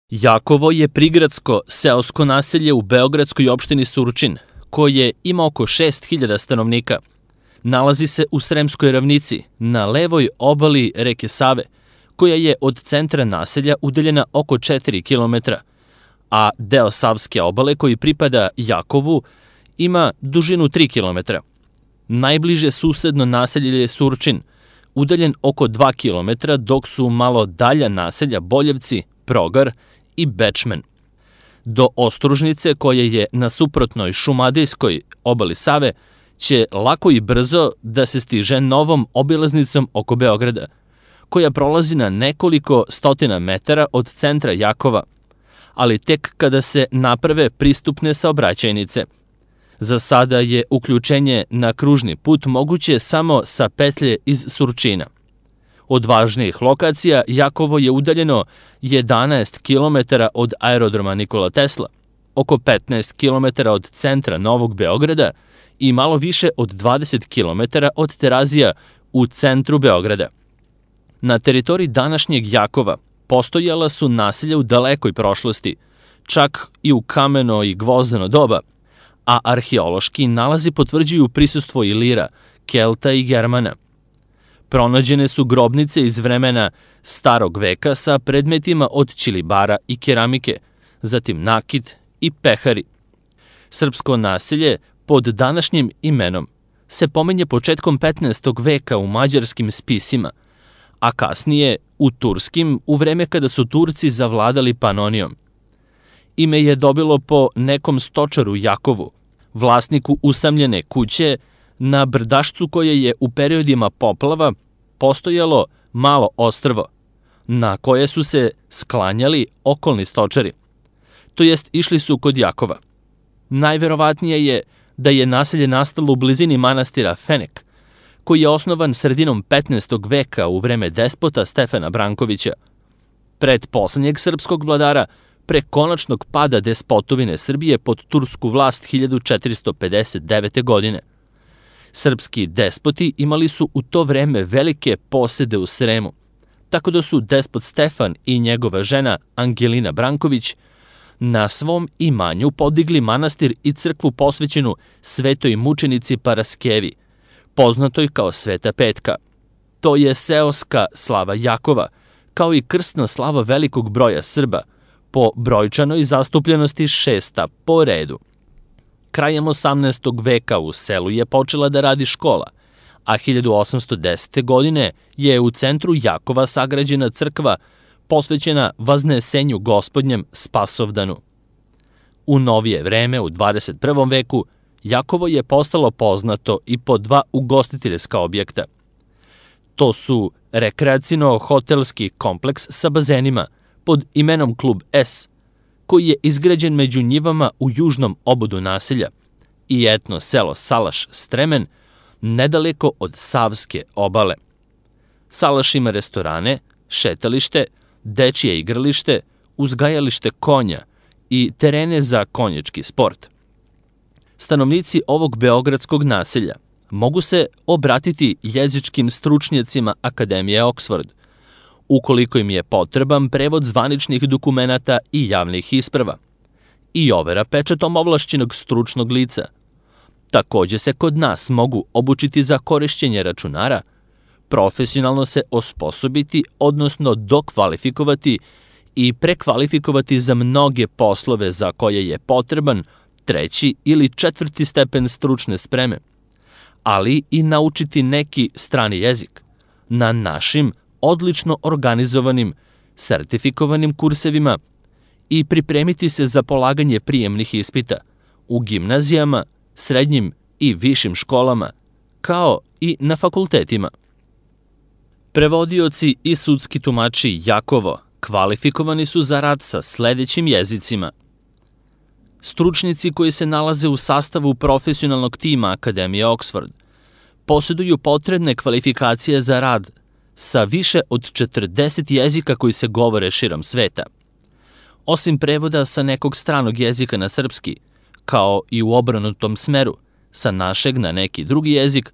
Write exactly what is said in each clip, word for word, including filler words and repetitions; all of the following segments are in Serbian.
Jakovo je prigradsko seosko naselje u beogradskoj opštini Surčin, koje ima oko šest hiljada stanovnika. Nalazi se u Sremskoj ravnici, na levoj obali reke Save, koja je od centra naselja udaljena oko četiri kilometra, a deo Savske obale koji pripada Jakovu ima dužinu tri kilometra. Najbliže susedno naselje je Surčin, udaljen oko dva kilometra, dok su malo dalja naselja Boljevci, Progar i Bečmen. Do Ostružnice, koja je na suprotnoj šumadijskoj obali Save, će lako i brzo da se stiže novom obilaznicom oko Beograda, koja prolazi na nekoliko stotina metara od centra Jakova, ali tek kada se naprave pristupne saobraćajnice. Za sada je uključenje na kružni put moguće samo sa petlje iz Surčina. Od važnijih lokacija Jakovo je udaljeno jedanaest kilometara od aerodroma Nikola Tesla, oko petnaest kilometara od centra Novog Beograda i malo više od dvadeset kilometara od Terazija u centru Beograda. Na teritoriji današnjeg Jakova postojala su naselja u dalekoj prošlosti, čak i u kameno i gvozdeno doba, a arheološki nalazi potvrđuju prisustvo Ilira, Kelta i Germana. Pronađene su grobnice iz vremena starog veka sa predmetima od ćilibara i keramike, zatim nakit i pehari. Srpsko naselje pod današnjim imenom se pominje početkom petnaestog veka u mađarskim spisima, a kasnije u turskim u vreme kada su Turci zavladali Panonijom. Ime je dobilo po nekom stočaru Jakovu, vlasniku usamljene kuće na brdašcu koje je u periodima poplava postojalo malo ostrvo, na koje su se sklanjali okolni stočari, to jest išli su kod Jakova. Najverovatnije je da je naselje nastalo u blizini manastira Fenek, koji je osnovan sredinom petnaestog veka u vreme despota Stefana Brankovića, pred poslednjeg srpskog vladara, pre konačnog pada despotovine Srbije pod tursku vlast hiljadu četiristo pedeset devete. godine. Srpski despoti imali su u to vreme velike posede u Sremu, tako da su despot Stefan i njegova žena Angelina Branković na svom imanju podigli manastir i crkvu posvećenu svetoj mučenici Paraskevi, poznatoj kao Sveta Petka. To je seoska slava Jakova, kao i krsna slava velikog broja Srba, po brojčanoj zastupljenosti šesta po redu. Krajem osamnaestog veka u selu je počela da radi škola, a hiljadu osamsto desete. godine je u centru Jakova sagrađena crkva posvećena Vaznesenju Gospodnjem Spasovdanu. U novije vreme, u dvadeset prvom veku, Jakovo je postalo poznato i po dva ugostiteljska objekta. To su rekreacijno-hotelski kompleks sa bazenima pod imenom Klub S, koji je izgrađen među njivama u južnom obodu naselja, i etno selo Salaš Stremen, nedaleko od Savske obale. Salaš ima restorane, šetalište, dečije igralište, uzgajalište konja i terene za konjački sport. Stanovnici ovog beogradskog naselja mogu se obratiti jezičkim stručnjacima Akademije Oxford, ukoliko im je potreban prevod zvaničnih dokumenata i javnih isprava i overa pečatom ovlašćenog stručnog lica. Takođe se kod nas mogu obučiti za korišćenje računara, profesionalno se osposobiti, odnosno dokvalifikovati i prekvalifikovati za mnoge poslove za koje je potreban treći ili četvrti stepen stručne spreme, ali i naučiti neki strani jezik na našim odlično organizovanim, sertifikovanim kursevima i pripremiti se za polaganje prijemnih ispita u gimnazijama, srednjim i višim školama, kao i na fakultetima. Prevodioci i sudski tumači Jakovo kvalifikovani su za rad sa sledećim jezicima. Stručnici koji se nalaze u sastavu profesionalnog tima Akademije Oxford posjeduju potrebne kvalifikacije za rad sa više od četrdeset jezika koji se govore širom sveta. Osim prevoda sa nekog stranog jezika na srpski, kao i u obrnutom smeru, sa našeg na neki drugi jezik,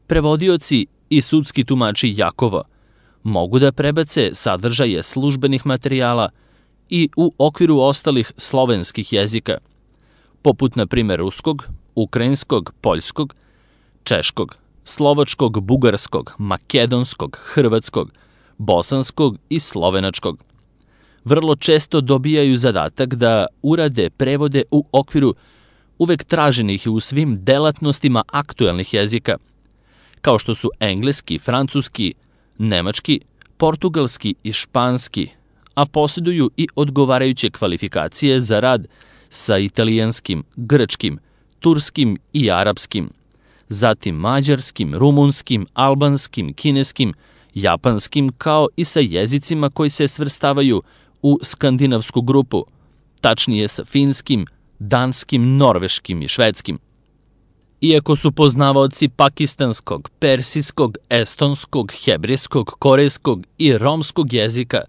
prevodioci i sudski tumači Jakova mogu da prebace sadržaje službenih materijala i u okviru ostalih slovenskih jezika, poput na primjer ruskog, ukrajinskog, poljskog, češkog, slovačkog, bugarskog, makedonskog, hrvatskog, bosanskog i slovenačkog. Vrlo često dobijaju zadatak da urade prevode u okviru uvek traženih u svim delatnostima aktuelnih jezika, kao što su engleski, francuski, nemački, portugalski i španski, a posjeduju i odgovarajuće kvalifikacije za rad sa italijanskim, grčkim, turskim i arapskim, zatim mađarskim, rumunskim, albanskim, kineskim, japanskim, kao i sa jezicima koji se svrstavaju u skandinavsku grupu, tačnije sa finskim, danskim, norveškim i švedskim. Iako su poznavaoci pakistanskog, persijskog, estonskog, hebrejskog, korejskog i romskog jezika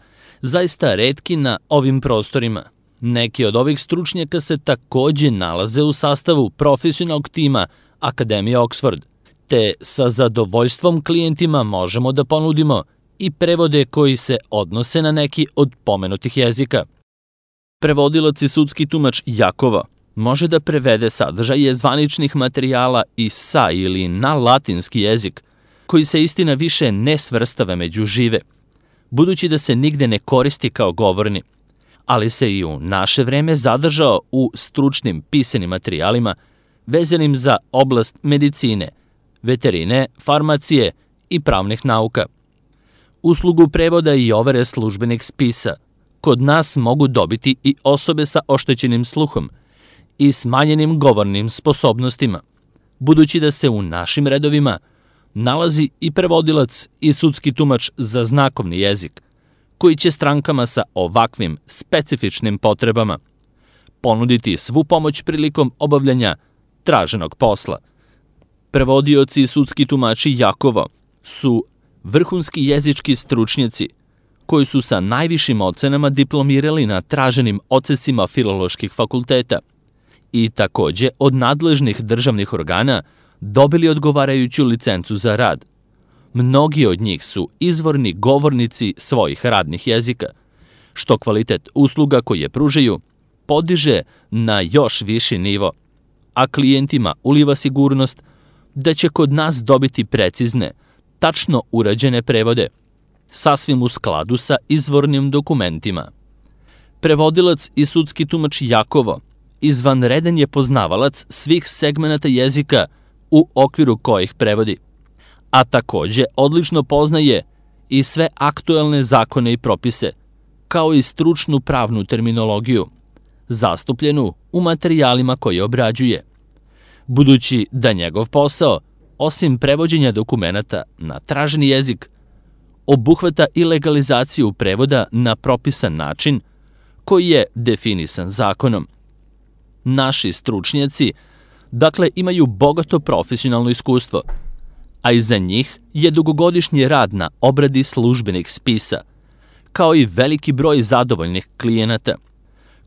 zaista retki na ovim prostorima, neki od ovih stručnjaka se takođe nalaze u sastavu profesionalnog tima Akademije Oxford, te sa zadovoljstvom klijentima možemo da ponudimo i prevode koji se odnose na neki od pomenutih jezika. Prevodilac i sudski tumač Jakova može da prevede sadržaje zvaničnih materijala i sa ili na latinski jezik, koji se istina više ne svrstava među žive, budući da se nigde ne koristi kao govorni, ali se i u naše vreme zadržao u stručnim pisanim materijalima vezanim za oblast medicine, veterine, farmacije i pravnih nauka. Uslugu prevoda i overe službenih spisa kod nas mogu dobiti i osobe sa oštećenim sluhom i smanjenim govornim sposobnostima, budući da se u našim redovima nalazi i prevodilac i sudski tumač za znakovni jezik, koji će strankama sa ovakvim specifičnim potrebama ponuditi svu pomoć prilikom obavljanja traženog posla. Prevodioci i sudski tumači Jakovo su vrhunski jezički stručnjaci koji su sa najvišim ocenama diplomirali na traženim odsecima filoloških fakulteta i takođe od nadležnih državnih organa dobili odgovarajuću licencu za rad. Mnogi od njih su izvorni govornici svojih radnih jezika, što kvalitet usluga koje pružaju podiže na još viši nivo, a klijentima uliva sigurnost da će kod nas dobiti precizne, tačno urađene prevode, sasvim u skladu sa izvornim dokumentima. Prevodilac i sudski tumač Jakovo izvanredan je poznavalac svih segmenata jezika u okviru kojih prevodi, a takođe odlično poznaje i sve aktuelne zakone i propise, kao i stručnu pravnu terminologiju, zastupljenu u materijalima koje obrađuje, budući da njegov posao, osim prevođenja dokumenata na traženi jezik, obuhvata i legalizaciju prevoda na propisan način koji je definisan zakonom. Naši stručnjaci, dakle, imaju bogato profesionalno iskustvo, a iza njih je dugogodišnji rad na obradi službenih spisa, kao i veliki broj zadovoljnih klijenata,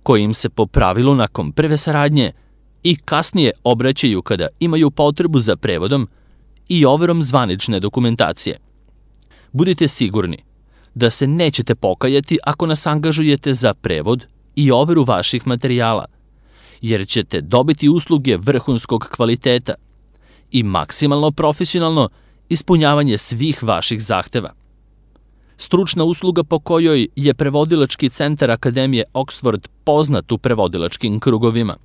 koji im se po pravilu nakon prve saradnje i kasnije obraćaju kada imaju potrebu za prevodom i overom zvanične dokumentacije. Budite sigurni da se nećete pokajati ako nas angažujete za prevod i overu vaših materijala, jer ćete dobiti usluge vrhunskog kvaliteta i maksimalno profesionalno ispunjavanje svih vaših zahteva. Stručna usluga po kojoj je prevodilački centar Akademije Oxford poznat u prevodilačkim krugovima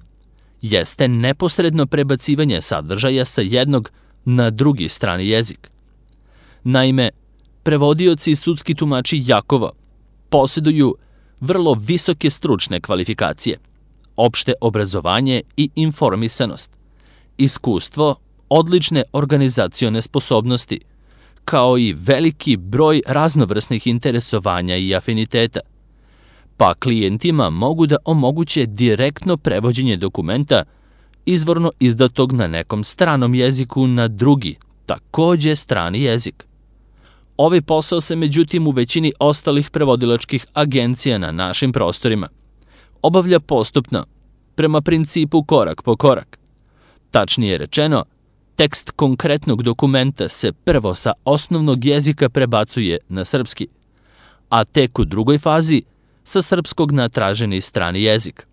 jeste neposredno prebacivanje sadržaja sa jednog na drugi strani jezik. Naime, prevodioci i sudski tumači Jakovo posjeduju vrlo visoke stručne kvalifikacije, opšte obrazovanje i informisanost, iskustvo, odlične organizacione sposobnosti, kao i veliki broj raznovrsnih interesovanja i afiniteta, pa klijentima mogu da omoguće direktno prevođenje dokumenta izvorno izdatog na nekom stranom jeziku na drugi, takođe strani jezik. Ovaj posao se međutim u većini ostalih prevodilačkih agencija na našim prostorima obavlja postupno, prema principu korak po korak. Tačnije rečeno, tekst konkretnog dokumenta se prvo sa osnovnog jezika prebacuje na srpski, a tek u drugoj fazi sa srpskog na traženi strani jezik.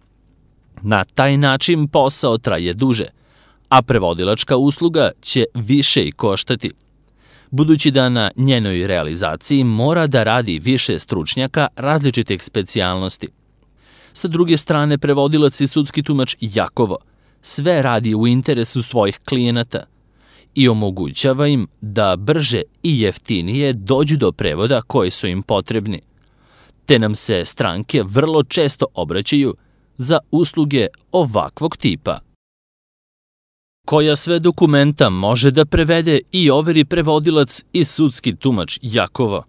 Na taj način posao traje duže, a prevodilačka usluga će više i koštati, budući da na njenoj realizaciji mora da radi više stručnjaka različitih specijalnosti. Sa druge strane, prevodilac i sudski tumač Jakovo sve radi u interesu svojih klijenata i omogućava im da brže i jeftinije dođu do prevoda koji su im potrebni, te nam se stranke vrlo često obraćaju za usluge ovakvog tipa. Koja sve dokumenta može da prevede i overi prevodilac i sudski tumač Jakovo?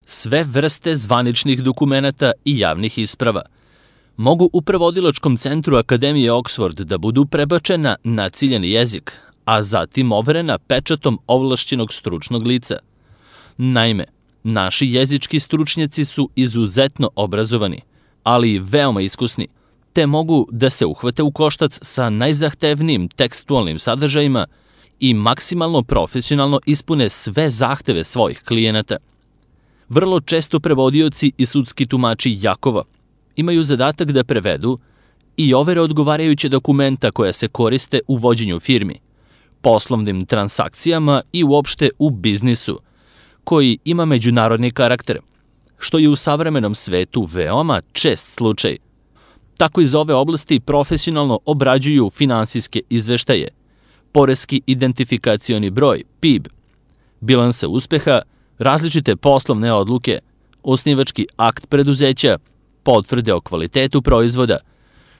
Sve vrste zvaničnih dokumenata i javnih isprava mogu u prevodilačkom centru Akademije Oxford da budu prebačena na ciljani jezik, a zatim overena pečatom ovlašćenog stručnog lica. Naime, naši jezički stručnjaci su izuzetno obrazovani, ali i veoma iskusni, te mogu da se uhvate u koštac sa najzahtevnijim tekstualnim sadržajima i maksimalno profesionalno ispune sve zahteve svojih klijenata. Vrlo često prevodioci i sudski tumači Jakova imaju zadatak da prevedu i overe odgovarajuće dokumenta koja se koriste u vođenju firmi, poslovnim transakcijama i uopšte u biznisu, koji ima međunarodni karakter, što je u savremenom svetu veoma čest slučaj. Tako iz ove oblasti profesionalno obrađuju finansijske izveštaje, poreski identifikacioni broj, P I B, bilanse uspeha, različite poslovne odluke, osnivački akt preduzeća, potvrde o kvalitetu proizvoda,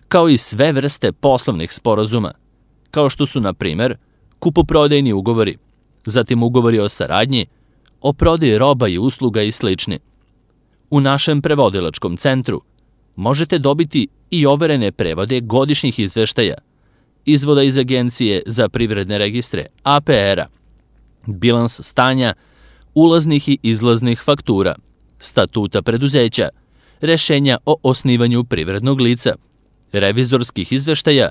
kao i sve vrste poslovnih sporazuma, kao što su, na primer, kupoprodajni ugovori, zatim ugovori o saradnji, o prodaji roba i usluga i slični. U našem prevodilačkom centru možete dobiti i overene prevode godišnjih izveštaja, izvoda iz Agencije za privredne registre, A P R-a, bilans stanja, ulaznih i izlaznih faktura, statuta preduzeća, rešenja o osnivanju privrednog lica, revizorskih izveštaja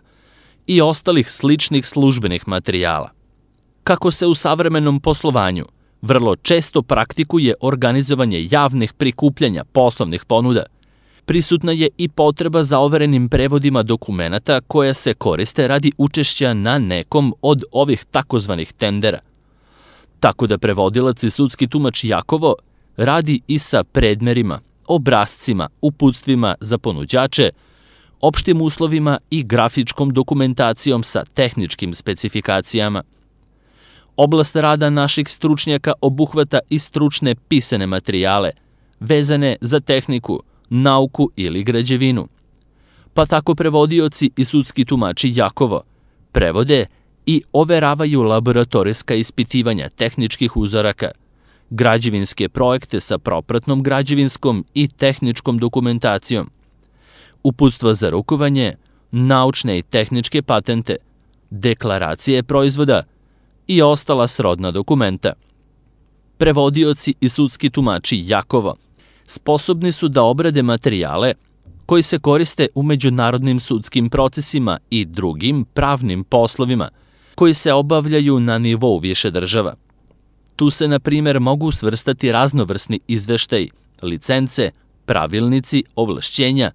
i ostalih sličnih službenih materijala. Kako se u savremenom poslovanju vrlo često praktikuje organizovanje javnih prikupljanja poslovnih ponuda, prisutna je i potreba za overenim prevodima dokumenata koja se koriste radi učešća na nekom od ovih takozvanih tendera. Tako da prevodilac i sudski tumač Jakovo radi i sa predmerima, obrascima, uputstvima za ponuđače, opštim uslovima i grafičkom dokumentacijom sa tehničkim specifikacijama. Oblast rada naših stručnjaka obuhvata i stručne pisane materijale, vezane za tehniku, nauku ili građevinu. Pa tako prevodioci i sudski tumači Jakovo prevode i overavaju laboratorijska ispitivanja tehničkih uzoraka, građevinske projekte sa propratnom građevinskom i tehničkom dokumentacijom, uputstva za rukovanje, naučne i tehničke patente, deklaracije proizvoda i ostala srodna dokumenta. Prevodioci i sudski tumači Jakovo sposobni su da obrade materijale koji se koriste u međunarodnim sudskim procesima i drugim pravnim poslovima koji se obavljaju na nivou više država. Tu se, na primer, mogu svrstati raznovrsni izveštaji, licence, pravilnici, ovlašćenja,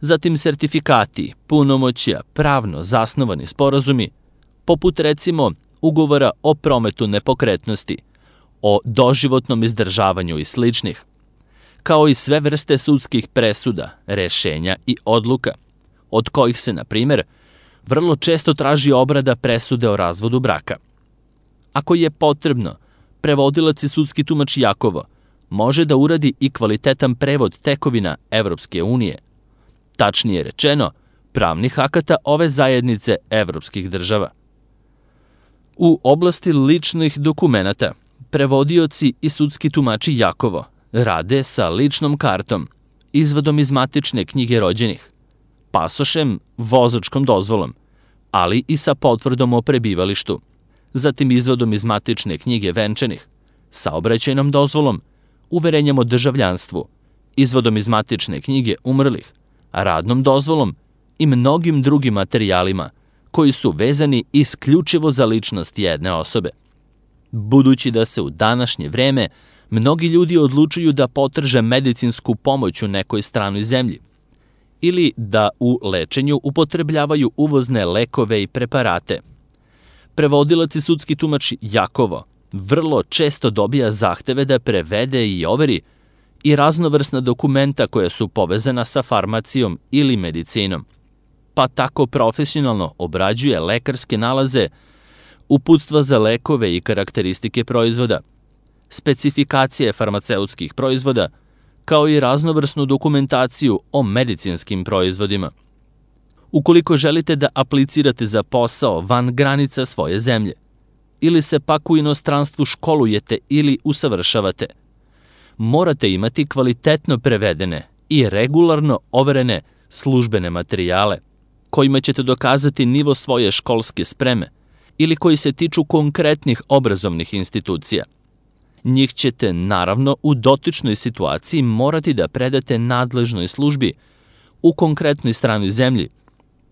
zatim sertifikati, punomoćja, pravno zasnovani sporazumi, poput recimo ugovora o prometu nepokretnosti, o doživotnom izdržavanju i sličnih, kao i sve vrste sudskih presuda, rešenja i odluka, od kojih se, na primer, vrlo često traži obrada presude o razvodu braka. Ako je potrebno, prevodilac i sudski tumač Jakovo može da uradi i kvalitetan prevod tekovina Evropske unije, tačnije rečeno, pravnih akata ove zajednice evropskih država. U oblasti ličnih dokumenata, prevodioci i sudski tumači Jakovo rade sa ličnom kartom, izvodom iz matične knjige rođenih, pasošem, vozačkom dozvolom, ali i sa potvrdom o prebivalištu, zatim izvodom iz matične knjige venčanih, saobraćajnom dozvolom, uverenjem o državljanstvu, izvodom iz matične knjige umrlih, radnom dozvolom i mnogim drugim materijalima koji su vezani isključivo za ličnost jedne osobe. Budući da se u današnje vreme Mnogi ljudi odlučuju da potraže medicinsku pomoć u nekoj stranoj zemlji ili da u lečenju upotrebljavaju uvozne lekove i preparate. Prevodilac i sudski tumač Jakovo vrlo često dobija zahteve da prevede i overi i raznovrsna dokumenta koja su povezana sa farmacijom ili medicinom, pa tako profesionalno obrađuje lekarske nalaze, uputstva za lekove i karakteristike proizvoda, specifikacije farmaceutskih proizvoda, kao i raznovrsnu dokumentaciju o medicinskim proizvodima. Ukoliko želite da aplicirate za posao van granica svoje zemlje, ili se pak u inostranstvu školujete ili usavršavate, morate imati kvalitetno prevedene i regularno overene službene materijale, kojima ćete dokazati nivo svoje školske spreme ili koji se tiču konkretnih obrazovnih institucija. Njih ćete, naravno, u dotičnoj situaciji morati da predate nadležnoj službi u konkretnoj stranoj zemlji,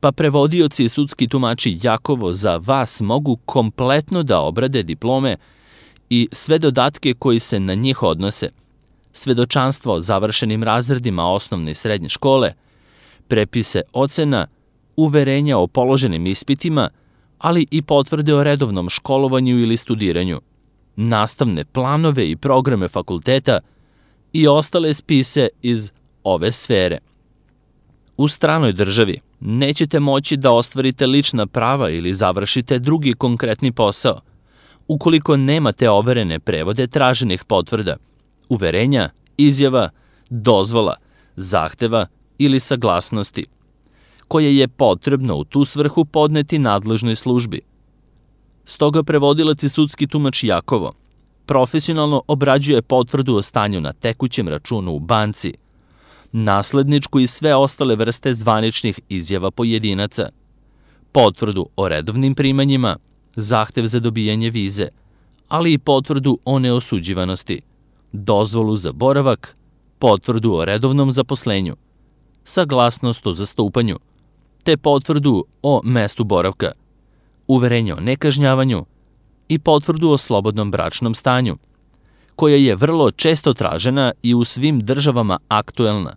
pa prevodioci i sudski tumači Jakovo za vas mogu kompletno da obrade diplome i sve dodatke koji se na njih odnose, svedočanstvo o završenim razredima osnovne i srednje škole, prepise ocena, uverenja o položenim ispitima, ali i potvrde o redovnom školovanju ili studiranju, nastavne planove i programe fakulteta i ostale spise iz ove sfere. U stranoj državi nećete moći da ostvarite lična prava ili završite drugi konkretni posao, ukoliko nemate overene prevode traženih potvrda, uverenja, izjava, dozvola, zahteva ili saglasnosti, koje je potrebno u tu svrhu podneti nadležnoj službi. Stoga prevodilac i sudski tumač Jakovo profesionalno obrađuje potvrdu o stanju na tekućem računu u banci, nasledničku i sve ostale vrste zvaničnih izjava pojedinaca, potvrdu o redovnim primanjima, zahtev za dobijanje vize, ali i potvrdu o neosuđivanosti, dozvolu za boravak, potvrdu o redovnom zaposlenju, saglasnost o zastupanju, te potvrdu o mestu boravka, uverenje o nekažnjavanju i potvrdu o slobodnom bračnom stanju, koja je vrlo često tražena i u svim državama aktuelna,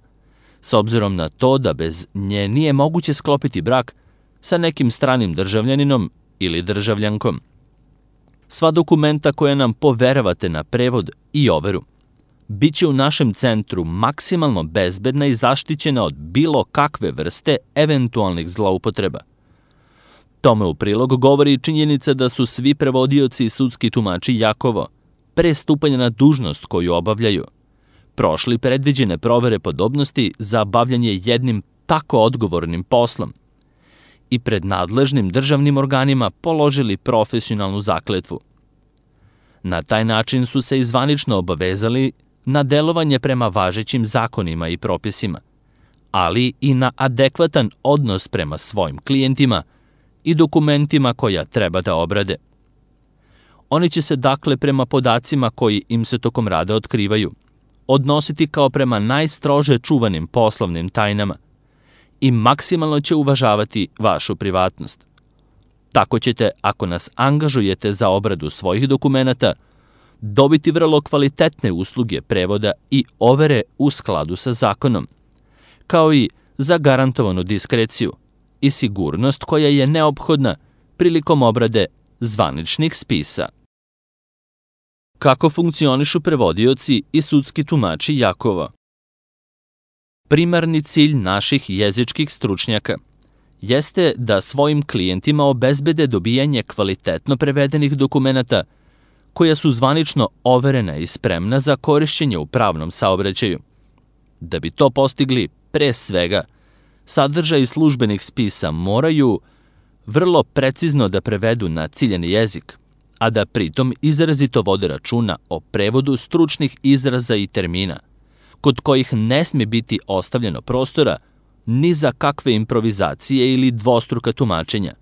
s obzirom na to da bez nje nije moguće sklopiti brak sa nekim stranim državljaninom ili državljankom. Sva dokumenta koja nam poveravate na prevod i overu biće u našem centru maksimalno bezbedna i zaštićena od bilo kakve vrste eventualnih zloupotreba. Tome u prilog govori i činjenica da su svi prevodioci i sudski tumači Jakovo, pre stupanja na dužnost koju obavljaju, prošli predviđene provere podobnosti za bavljanje jednim tako odgovornim poslom i pred nadležnim državnim organima položili profesionalnu zakletvu. Na taj način su se i zvanično obavezali na delovanje prema važećim zakonima i propisima, ali i na adekvatan odnos prema svojim klijentima i dokumentima koja treba da obrade. Oni će se dakle prema podacima koji im se tokom rada otkrivaju odnositi kao prema najstrože čuvanim poslovnim tajnama i maksimalno će uvažavati vašu privatnost. Tako ćete, ako nas angažujete za obradu svojih dokumenata, dobiti vrlo kvalitetne usluge prevoda i overe u skladu sa zakonom, kao i zagarantovanu diskreciju i sigurnost koja je neophodna prilikom obrade zvaničnih spisa. Kako funkcionišu prevodioci i sudski tumači Jakova? Primarni cilj naših jezičkih stručnjaka jeste da svojim klijentima obezbede dobijanje kvalitetno prevedenih dokumenata koja su zvanično overena i spremna za korišćenje u pravnom saobraćaju. Da bi to postigli, pre svega, sadržaj službenih spisa moraju vrlo precizno da prevedu na ciljani jezik, a da pritom izrazito vode računa o prevodu stručnih izraza i termina, kod kojih ne sme biti ostavljeno prostora ni za kakve improvizacije ili dvostruka tumačenja,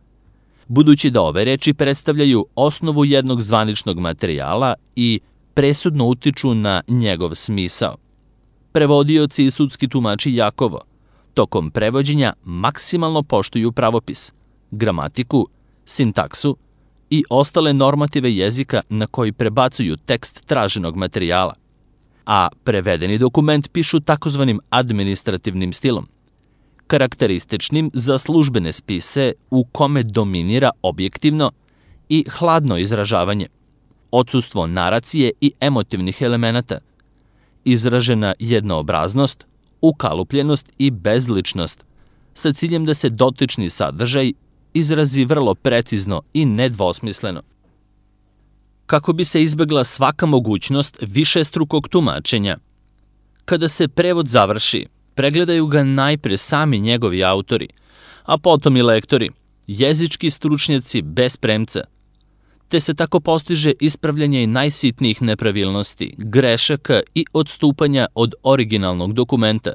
budući da ove reči predstavljaju osnovu jednog zvaničnog materijala i presudno utiču na njegov smisao. Prevodioci i sudski tumači Jakovo tokom prevođenja maksimalno poštuju pravopis, gramatiku, sintaksu i ostale normative jezika na koji prebacuju tekst traženog materijala, a prevedeni dokument pišu takozvanim administrativnim stilom, karakterističnim za službene spise u kome dominira objektivno i hladno izražavanje, odsustvo naracije i emotivnih elemenata, izražena jednoobraznost, ukalupljenost i bezličnost, sa ciljem da se dotični sadržaj izrazi vrlo precizno i nedvosmisleno. Kako bi se izbegla svaka mogućnost višestrukog tumačenja, kada se prevod završi, pregledaju ga najpre sami njegovi autori, a potom i lektori, jezički stručnjaci bez premca, te se tako postiže ispravljanje i najsitnijih nepravilnosti, grešaka i odstupanja od originalnog dokumenta,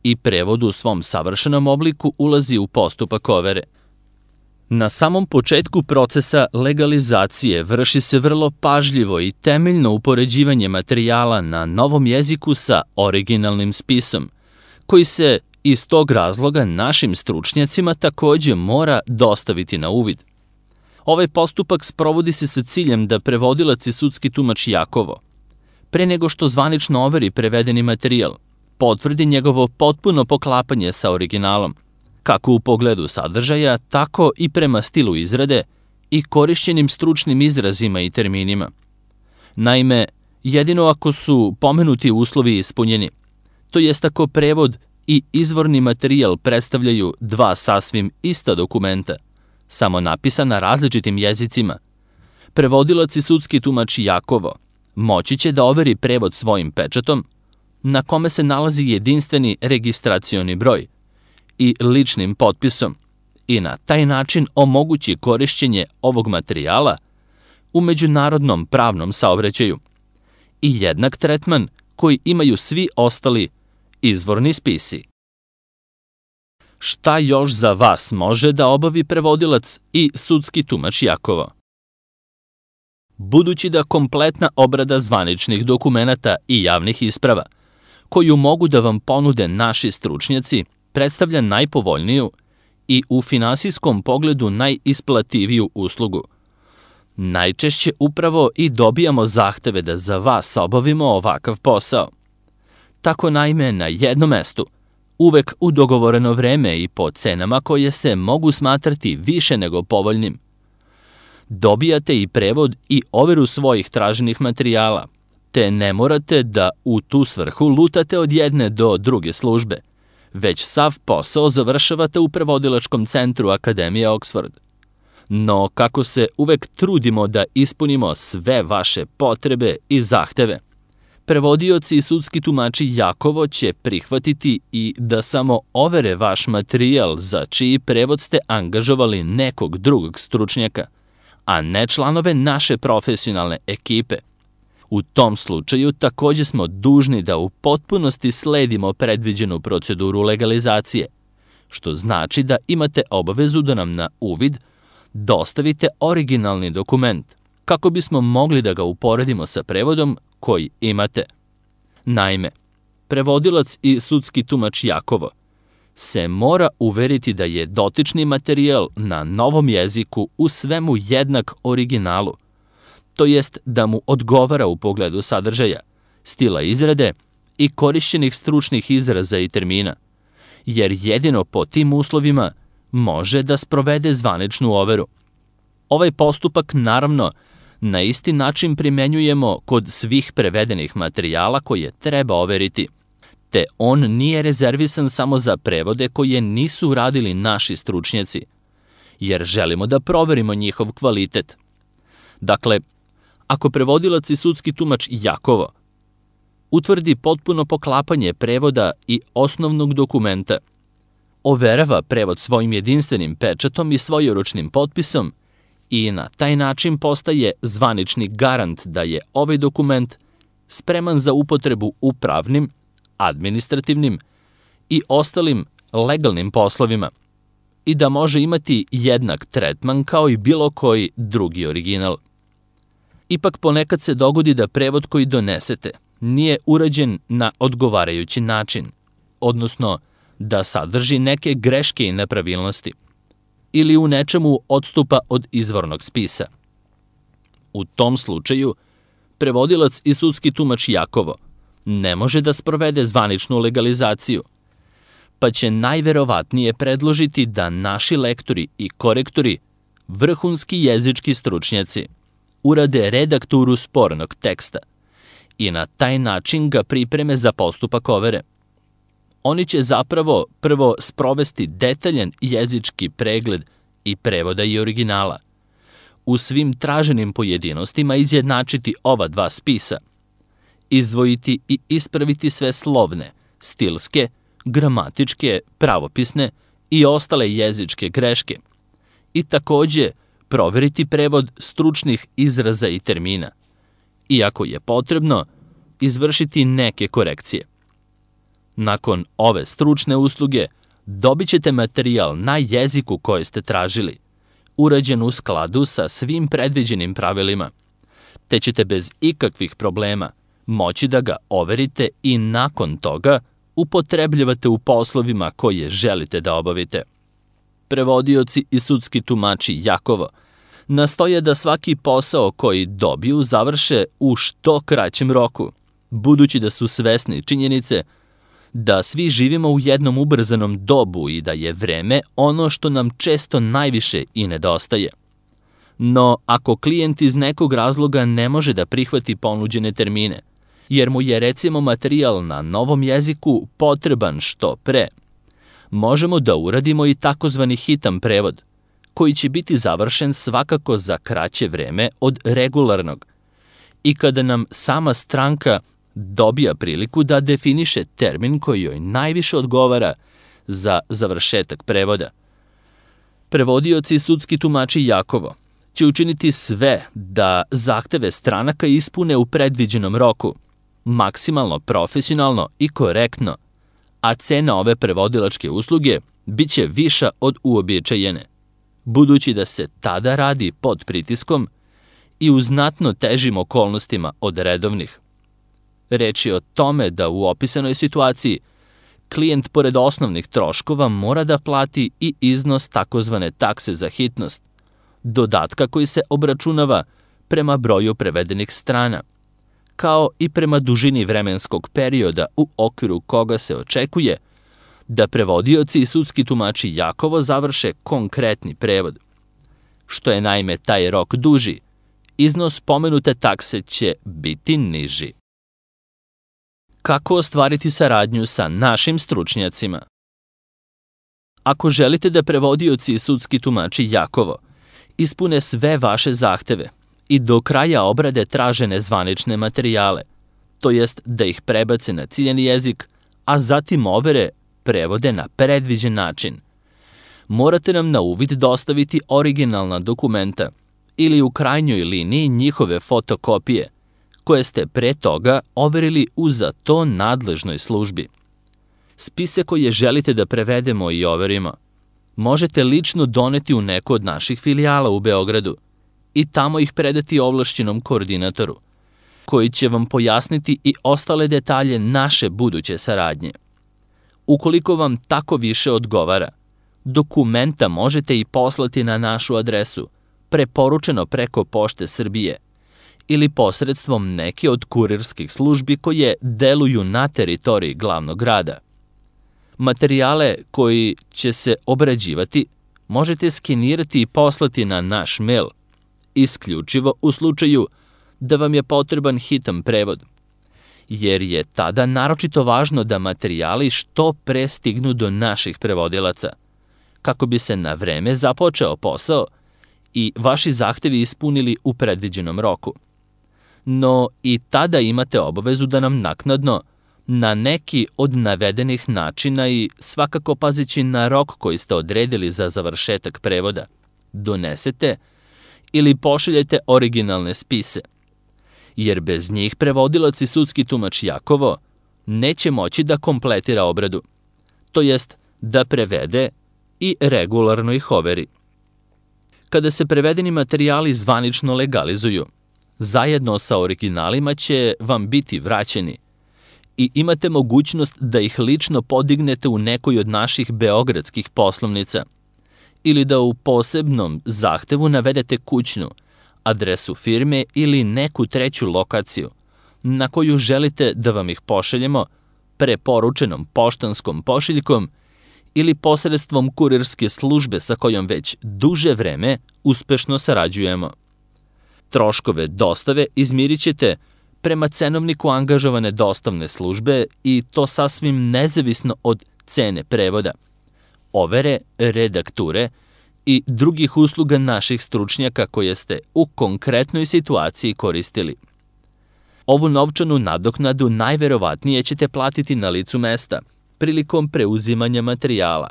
i prevod u svom savršenom obliku ulazi u postupak overe. Na samom početku procesa legalizacije vrši se vrlo pažljivo i temeljno upoređivanje materijala na novom jeziku sa originalnim spisom, koji se iz tog razloga našim stručnjacima takođe mora dostaviti na uvid. Ovaj postupak sprovodi se sa ciljem da prevodilac i sudski tumač Jakovo, pre nego što zvanično overi prevedeni materijal, potvrdi njegovo potpuno poklapanje sa originalom, kako u pogledu sadržaja, tako i prema stilu izrade i korišćenim stručnim izrazima i terminima. Naime, jedino ako su pomenuti uslovi ispunjeni, to jest ako prevod i izvorni materijal predstavljaju dva sasvim ista dokumenta, samo napisana različitim jezicima, prevodilac i sudski tumač Jakovo moći će da overi prevod svojim pečatom, na kome se nalazi jedinstveni registracioni broj, i ličnim potpisom, i na taj način omogući korišćenje ovog materijala u međunarodnom pravnom saobraćaju i jednak tretman koji imaju svi ostali izvorni spisi. Šta još za vas može da obavi prevodilac i sudski tumač Jakovo? Budući da kompletna obrada zvaničnih dokumenata i javnih isprava, koju mogu da vam ponude naši stručnjaci, predstavlja najpovoljniju i u finansijskom pogledu najisplativiju uslugu, najčešće upravo i dobijamo zahteve da za vas obavimo ovakav posao. Tako naime na jednom mestu, uvek u dogovoreno vreme i po cenama koje se mogu smatrati više nego povoljnim, dobijate i prevod i overu svojih traženih materijala, te ne morate da u tu svrhu lutate od jedne do druge službe, već sav posao završavate u prevodilačkom centru Akademije Oxford. No, kako se uvek trudimo da ispunimo sve vaše potrebe i zahteve, prevodioci i sudski tumači Jakovo će prihvatiti i da samo overe vaš materijal za čiji prevod ste angažovali nekog drugog stručnjaka, a ne članove naše profesionalne ekipe. U tom slučaju takođe smo dužni da u potpunosti sledimo predviđenu proceduru legalizacije, što znači da imate obavezu da nam na uvid dostavite originalni dokument, kako bismo mogli da ga uporedimo sa prevodom koji imate. Naime, prevodilac i sudski tumač Jakovo se mora uveriti da je dotični materijal na novom jeziku u svemu jednak originalu, to jest da mu odgovara u pogledu sadržaja, stila izrade i korišćenih stručnih izraza i termina, jer jedino po tim uslovima može da sprovede zvaničnu overu. Ovaj postupak, naravno, na isti način primenjujemo kod svih prevedenih materijala koje treba overiti, te on nije rezervisan samo za prevode koje nisu radili naši stručnjaci, jer želimo da proverimo njihov kvalitet. Dakle, ako prevodilac i sudski tumač Jakovo utvrdi potpuno poklapanje prevoda i osnovnog dokumenta, overava prevod svojim jedinstvenim pečatom i svojeručnim potpisom i na taj način postaje zvanični garant da je ovaj dokument spreman za upotrebu u pravnim, administrativnim i ostalim legalnim poslovima i da može imati jednak tretman kao i bilo koji drugi original. Ipak ponekad se dogodi da prevod koji donesete nije urađen na odgovarajući način, odnosno da sadrži neke greške i nepravilnosti, ili u nečemu odstupa od izvornog spisa. U tom slučaju, prevodilac i sudski tumač Jakovo ne može da sprovede zvaničnu legalizaciju, pa će najverovatnije predložiti da naši lektori i korektori, vrhunski jezički stručnjaci, urade redakturu spornog teksta i na taj način ga pripreme za postupak overe. Oni će zapravo prvo sprovesti detaljan jezički pregled i prevoda i originala, u svim traženim pojedinostima izjednačiti ova dva spisa, izdvojiti i ispraviti sve slovne, stilske, gramatičke, pravopisne i ostale jezičke greške i takođe proveriti prevod stručnih izraza i termina i, ako je potrebno, izvršiti neke korekcije. Nakon ove stručne usluge dobit ćete materijal na jeziku koji ste tražili, urađen u skladu sa svim predviđenim pravilima, te ćete bez ikakvih problema moći da ga overite i nakon toga upotrebljavate u poslovima koje želite da obavite. Prevodioci i sudski tumači Jakovo nastoje da svaki posao koji dobiju završe u što kraćem roku, budući da su svesni činjenice da svi živimo u jednom ubrzanom dobu i da je vreme ono što nam često najviše i nedostaje. No, ako klijent iz nekog razloga ne može da prihvati ponuđene termine, jer mu je recimo materijal na novom jeziku potreban što pre, možemo da uradimo i takozvani hitan prevod, koji će biti završen svakako za kraće vreme od regularnog i kada nam sama stranka dobija priliku da definiše termin koji joj najviše odgovara za završetak prevoda. Prevodioci i sudski tumači Jakovo će učiniti sve da zahteve stranaka ispune u predviđenom roku, maksimalno profesionalno i korektno, a cena ove prevodilačke usluge biće viša od uobičajene, budući da se tada radi pod pritiskom i u znatno težim okolnostima od redovnih. Reč je o tome da u opisanoj situaciji klijent pored osnovnih troškova mora da plati i iznos takozvane takse za hitnost, dodatka koji se obračunava prema broju prevedenih strana, kao i prema dužini vremenskog perioda u okviru koga se očekuje da prevodioci i sudski tumači Jakovo završe konkretni prevod. Što je naime taj rok duži, iznos pomenute takse će biti niži. Kako ostvariti saradnju sa našim stručnjacima? Ako želite da prevodioci i sudski tumači Jakovo ispune sve vaše zahteve i do kraja obrade tražene zvanične materijale, to jest da ih prebace na ciljani jezik, a zatim overe prevode na predviđen način, morate nam na uvid dostaviti originalna dokumenta ili u krajnjoj liniji njihove fotokopije, koje ste pre toga overili u za to nadležnoj službi. Spise koje želite da prevedemo i overimo možete lično doneti u neku od naših filijala u Beogradu i tamo ih predati ovlašćenom koordinatoru, koji će vam pojasniti i ostale detalje naše buduće saradnje. Ukoliko vam tako više odgovara, dokumenta možete i poslati na našu adresu, preporučeno preko Pošte Srbije, ili posredstvom neke od kurirskih službi koje deluju na teritoriji glavnog grada. Materijale koji će se obrađivati možete skenirati i poslati na naš mail, isključivo u slučaju da vam je potreban hitan prevod, jer je tada naročito važno da materijali što pre stignu do naših prevodilaca, kako bi se na vreme započeo posao i vaši zahtevi ispunili u predviđenom roku. No i tada imate obavezu da nam naknadno, na neki od navedenih načina i svakako pazeći na rok koji ste odredili za završetak prevoda, donesete ili pošaljete originalne spise, jer bez njih prevodilac i sudski tumač Jakovo neće moći da kompletira obradu, to jest da prevede i regularno ih overi. Kada se prevedeni materijali zvanično legalizuju, zajedno sa originalima će vam biti vraćeni i imate mogućnost da ih lično podignete u nekoj od naših beogradskih poslovnica ili da u posebnom zahtevu navedete kućnu, adresu firme ili neku treću lokaciju, na koju želite da vam ih pošaljemo preporučenom poštanskom pošiljkom ili posredstvom kurirske službe sa kojom već duže vreme uspešno sarađujemo. Troškove dostave izmirit ćete prema cenovniku angažovane dostavne službe i to sasvim nezavisno od cene prevoda, overe, redakture i drugih usluga naših stručnjaka koje ste u konkretnoj situaciji koristili. Ovu novčanu nadoknadu najverovatnije ćete platiti na licu mesta prilikom preuzimanja materijala.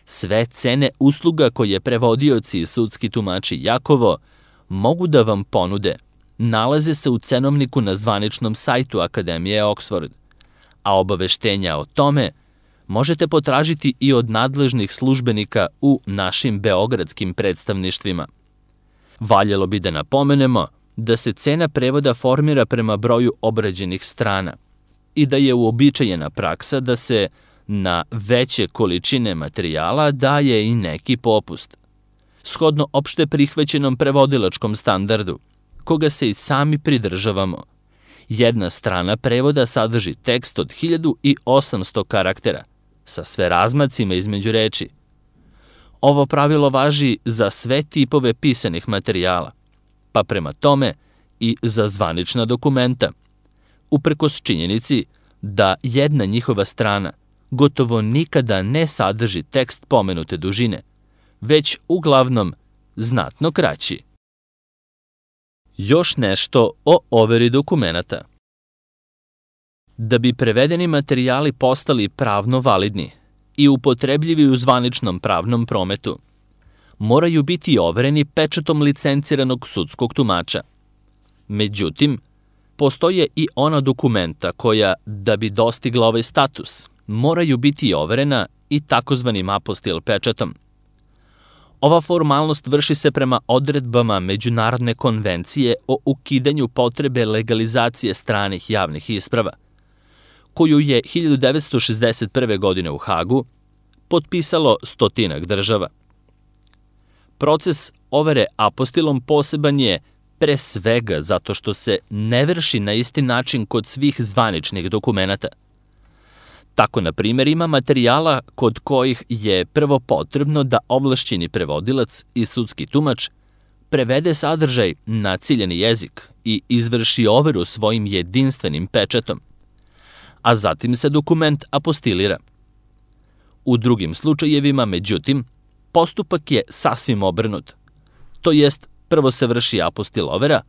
Sve cene usluga koje prevodioci i sudski tumači Jakovo mogu da vam ponude nalaze se u cenovniku na zvaničnom sajtu Akademije Oxford, a obaveštenja o tome možete potražiti i od nadležnih službenika u našim beogradskim predstavništvima. Valjalo bi da napomenemo da se cena prevoda formira prema broju obrađenih strana i da je uobičajena praksa da se na veće količine materijala daje i neki popust. Shodno opšte prihvaćenom prevodilačkom standardu, koga se i sami pridržavamo, jedna strana prevoda sadrži tekst od hiljadu osamsto karaktera, sa sve razmacima između reči. Ovo pravilo važi za sve tipove pisanih materijala, pa prema tome i za zvanična dokumenta, uprkos činjenici da jedna njihova strana gotovo nikada ne sadrži tekst pomenute dužine, već uglavnom znatno kraći. Još nešto o overi dokumenata. Da bi prevedeni materijali postali pravno validni i upotrebljivi u zvaničnom pravnom prometu, moraju biti overeni pečatom licenciranog sudskog tumača. Međutim, postoje i ona dokumenta koja, da bi dostigla ovaj status, moraju biti overena i takozvanim apostil pečatom. Ova formalnost vrši se prema odredbama Međunarodne konvencije o ukidanju potrebe legalizacije stranih javnih isprava, koju je hiljadu devetsto šezdeset prve. godine u Hagu potpisalo stotinak država. Proces overe apostilom poseban je pre svega zato što se ne vrši na isti način kod svih zvaničnih dokumenata. Tako, na primjer, ima materijala kod kojih je prvo potrebno da ovlašćeni prevodilac i sudski tumač prevede sadržaj na ciljani jezik i izvrši overu svojim jedinstvenim pečatom, a zatim se dokument apostilira. U drugim slučajevima, međutim, postupak je sasvim obrnut, to jest prvo se vrši apostil overa,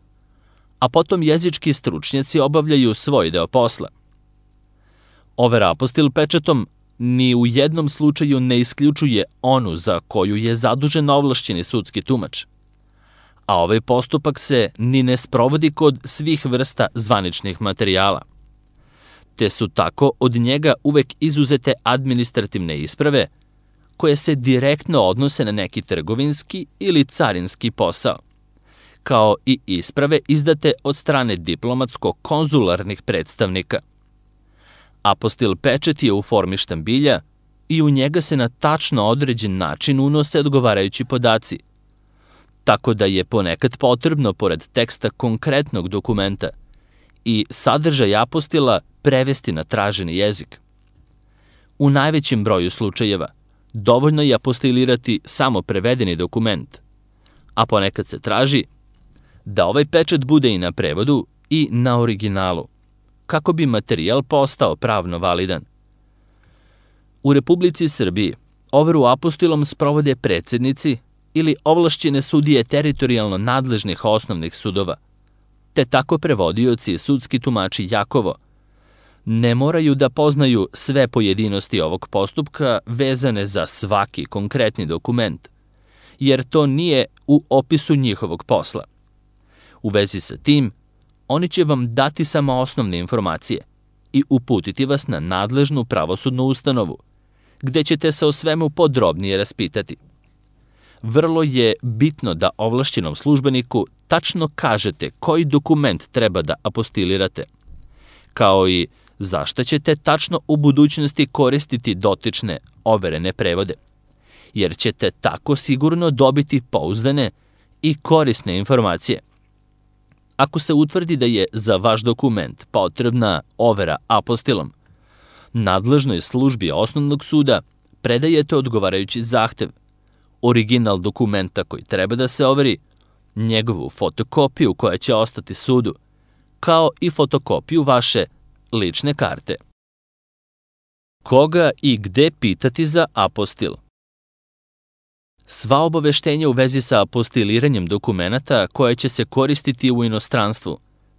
a potom jezički stručnjaci obavljaju svoj deo posla. Overa apostil pečatom ni u jednom slučaju ne isključuje onu za koju je zadužen ovlašćeni sudski tumač, a ovaj postupak se ni ne sprovodi kod svih vrsta zvaničnih materijala, te su tako od njega uvek izuzete administrativne isprave koje se direktno odnose na neki trgovinski ili carinski posao, kao i isprave izdate od strane diplomatsko-konzularnih predstavnika. Apostil pečat je u formi štambilja i u njega se na tačno određen način unose odgovarajući podaci, tako da je ponekad potrebno, pored teksta konkretnog dokumenta, i sadržaj apostila prevesti na traženi jezik. U najvećem broju slučajeva dovoljno je apostilirati samo prevedeni dokument, a ponekad se traži da ovaj pečat bude i na prevodu i na originalu, kako bi materijal postao pravno validan. U Republici Srbiji overu apostilom sprovode predsednici ili ovlašćene sudije teritorijalno nadležnih osnovnih sudova, te tako prevodioci i sudski tumači Jakovo ne moraju da poznaju sve pojedinosti ovog postupka vezane za svaki konkretni dokument, jer to nije u opisu njihovog posla. U vezi sa tim, oni će vam dati samo osnovne informacije i uputiti vas na nadležnu pravosudnu ustanovu, gde ćete se o svemu podrobnije raspitati. Vrlo je bitno da ovlašćenom službeniku tačno kažete koji dokument treba da apostilirate, kao i zašto ćete tačno u budućnosti koristiti dotične overene prevode, jer ćete tako sigurno dobiti pouzdane i korisne informacije. Ako se utvrdi da je za vaš dokument potrebna overa apostilom, nadležnoj službi osnovnog suda predajete odgovarajući zahtev, original dokumenta koji treba da se overi, njegovu fotokopiju koja će ostati sudu, kao i fotokopiju vaše lične karte. Koga i gde pitati za apostil? Sva obaveštenja u vezi sa apostiliranjem dokumenata koje će se koristiti u inostranstvu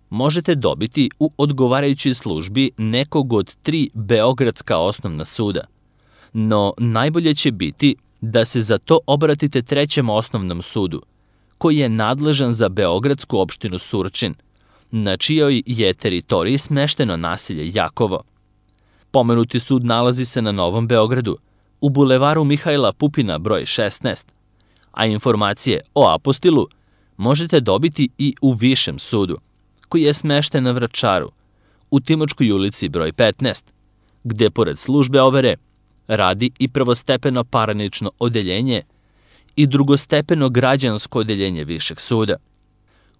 možete dobiti u odgovarajućoj službi nekog od tri beogradska osnovna suda, no najbolje će biti da se za to obratite trećem osnovnom sudu, koji je nadležan za beogradsku opštinu Surčin, na čijoj je teritoriji smešteno naselje Jakovo. Pomenuti sud nalazi se na Novom Beogradu, u bulevaru Mihajla Pupina broj šesnaest, a informacije o apostilu možete dobiti i u Višem sudu, koji je smešten na Vračaru, u Timočkoj ulici broj petnaest, gde pored službe overe radi i prvostepeno parnično odeljenje i drugostepeno građansko odeljenje Višeg suda.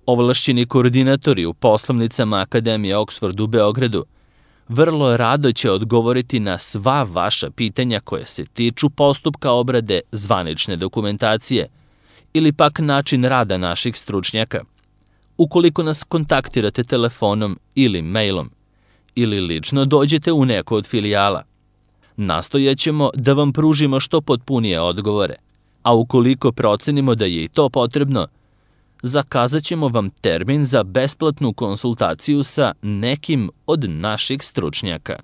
Ovlašćeni koordinatori u poslovnicama Akademije Oxford u Beogradu vrlo rado će odgovoriti na sva vaša pitanja koje se tiču postupka obrade zvanične dokumentacije ili pak način rada naših stručnjaka. Ukoliko nas kontaktirate telefonom ili mailom ili lično dođete u neko od filijala, nastojaćemo da vam pružimo što potpunije odgovore, a ukoliko procenimo da je i to potrebno, zakazat ćemo vam termin za besplatnu konsultaciju sa nekim od naših stručnjaka.